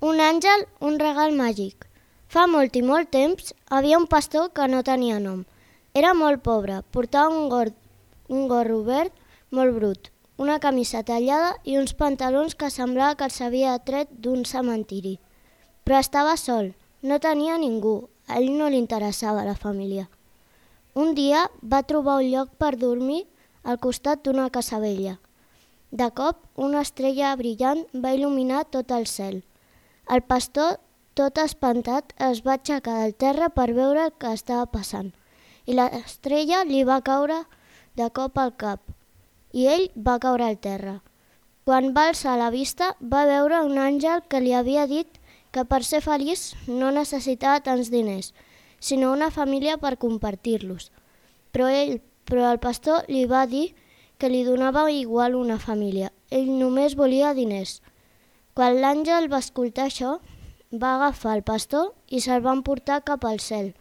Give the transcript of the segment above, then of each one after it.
Un àngel, un regal màgic. Fa molt i molt temps havia un pastor que no tenia nom. Era molt pobre, portava un gorro verd molt brut, una camisa tallada i uns pantalons que semblava que els havia tret d'un cementiri. Però estava sol, no tenia ningú, a ell no li interessava la família. Un dia va trobar un lloc per dormir al costat d'una casa vella. De cop, una estrella brillant va il·luminar tot el cel. El pastor, tot espantat, es va aixecar del terra per veure el que estava passant i l'estrella li va caure de cop al cap i ell va caure al terra. Quan va alçar la vista va veure un àngel que li havia dit que per ser feliç no necessitava tants diners, sinó una família per compartir-los. Però el pastor li va dir que li donava igual una família, ell només volia diners. Quan l'àngel va escoltar això, va agafar el pastor i se'l va emportar cap al cel.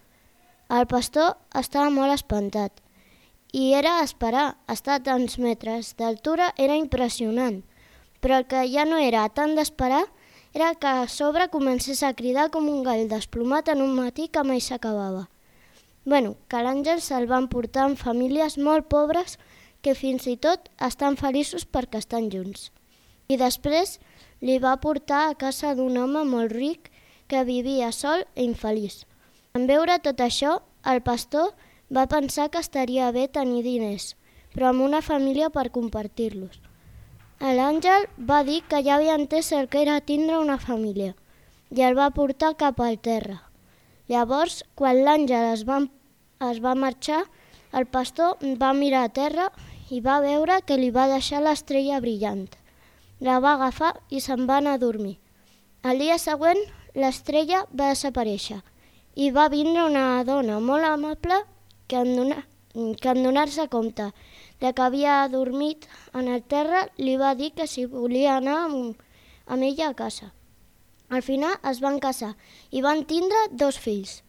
El pastor estava molt espantat i era d'esperar, estar a tants metres d'altura era impressionant, però el que ja no era tant d'esperar era que a sobre comencés a cridar com un gall desplomat en un matí que mai s'acabava. Que l'àngel se'l va emportar en famílies molt pobres que fins i tot estan feliços perquè estan junts. I després li va portar a casa d'un home molt ric que vivia sol i infeliç. En veure tot això, el pastor va pensar que estaria bé tenir diners, però amb una família per compartir-los. L'àngel va dir que ja havia entès el que era tindre una família i el va portar cap al terra. Llavors, quan l'àngel es va marxar, el pastor va mirar a terra i va veure que li va deixar l'estrella brillant. La va agafar i se'n va anar a dormir. El dia següent, l'estrella va desaparèixer i va vindre una dona molt amable que en donar-se compte de que havia dormit en el terra li va dir que si volia anar amb ella a casa. Al final es van casar i van tindre 2 fills.